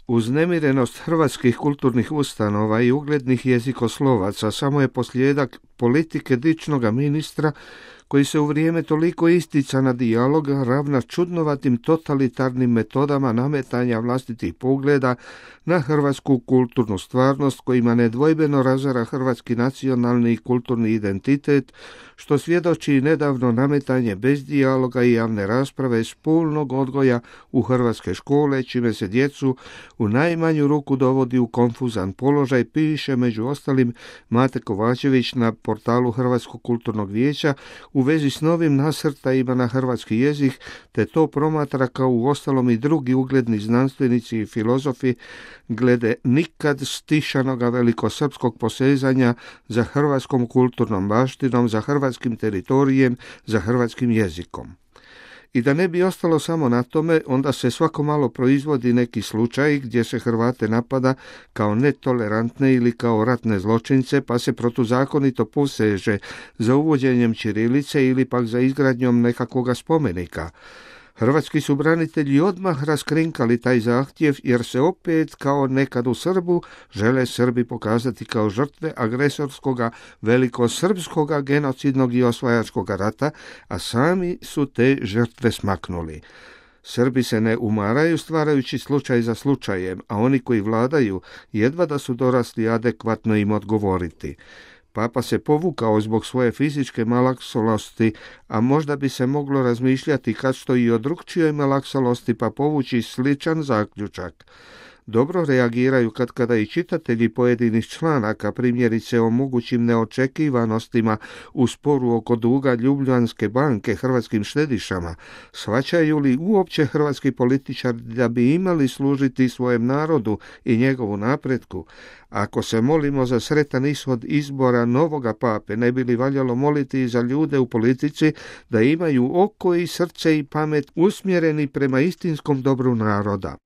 Uznemirenost hrvatskih kulturnih ustanova i uglednih jezikoslovaca samo je posljedak politike dičnoga ministra koji se u vrijeme toliko isticana dijaloga ravna čudnovatim totalitarnim metodama nametanja vlastitih pogleda na hrvatsku kulturnu stvarnost kojima nedvojbeno razara hrvatski nacionalni i kulturni identitet, što svjedoči nedavno nametanje bez dijaloga i javne rasprave spolnog odgoja u hrvatske škole, čime se djecu u najmanju ruku dovodi u konfuzan položaj, piše među ostalim Mate Kovačević na portalu Hrvatskog kulturnog vijeća u vezi s novim nasrtajima na hrvatski jezik, te to promatra kao uostalom i drugi ugledni znanstvenici i filozofi glede nikad stišanoga velikosrpskog posezanja za hrvatskom kulturnom baštinom, za hrvatskim teritorijem, za hrvatskim jezikom. I da ne bi ostalo samo na tome, onda se svako malo proizvodi neki slučaj gdje se Hrvate napada kao netolerantne ili kao ratne zločince, pa se protuzakonito poseže za uvođenjem ćirilice ili pak za izgradnjom nekakvoga spomenika. Hrvatski su branitelji odmah raskrinkali taj zahtjev jer se opet, kao nekad u Srbu, žele Srbi pokazati kao žrtve agresorskoga velikosrpskoga genocidnog i osvajačkoga rata, a sami su te žrtve smaknuli. Srbi se ne umaraju stvarajući slučaj za slučajem, a oni koji vladaju jedva da su dorasli adekvatno im odgovoriti. Papa se povukao zbog svoje fizičke malaksalosti, a možda bi se moglo razmišljati kad što i o drukčijoj malaksalosti pa povući sličan zaključak. Dobro reagiraju kada i čitatelji pojedinih članaka, primjerice o mogućim neočekivanostima u sporu oko duga Ljubljanske banke hrvatskim štedišama. Shvaćaju li uopće hrvatski političari da bi imali služiti svojem narodu i njegovu napretku? Ako se molimo za sretan ishod izbora novoga pape, ne bi li valjalo moliti i za ljude u politici da imaju oko i srce i pamet usmjereni prema istinskom dobru naroda?